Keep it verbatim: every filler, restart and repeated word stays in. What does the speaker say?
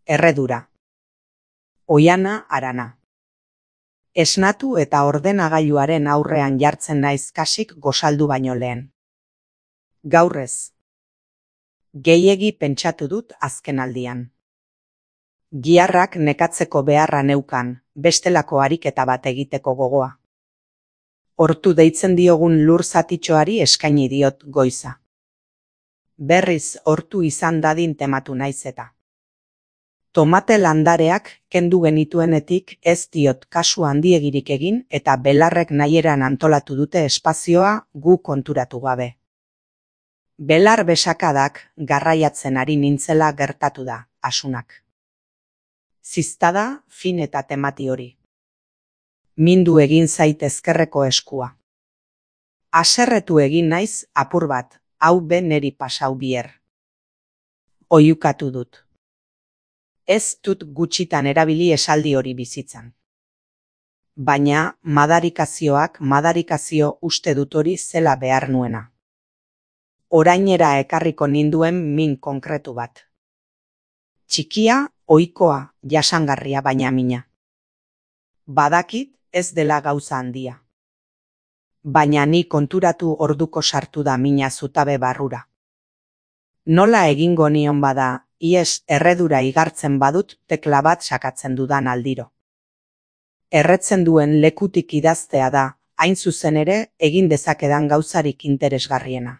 Erredura. Oihana harana. Esnatu eta ordenagailuaren aurrean jartzen naiz kasik gosaldu baino lehen. Gaur ez. Gehiegi pentsatu dut azkenaldian. Giharrak nekatzeko beharra neukan, bestelako ariketa bat egiteko gogoa. Hortu deitzen diogun lur zatitxoari eskaini diot goiza. Berriz hortu izan dadin tematu naiz eta. Tomate landareak kendu genituenetik ez diot kasu handiegirik egin eta belarrek nahieran antolatu dute espazioa gu konturatu gabe. Belar besakadak garraiatzen ari nintzela gertatu da, asunak. Ziztada fin eta temati hori. Mindu egin zait ezkerreko eskua. Haserretu egin naiz apur bat, hau be neri pasau bier. Oihukatu dut. Ez dut gutxitan erabili esaldi hori bizitzan. Baina madarikazioak madarikazio uste dut hori zela behar nuena. Orainera ekarriko ninduen min konkretu bat. Txikia, ohikoa, jasangarria baina mina. Badakit ez dela gauza handia. Baina ni konturatu orduko sartu da mina zutabe barrura. Nola egingo nion bada, ies erredura igartzen badut tekla bat sakatzen dudan aldiro. Erretzen duen lekutik idaztea da, hain zuzen ere, egin dezakedan gauzarik interesgarriena.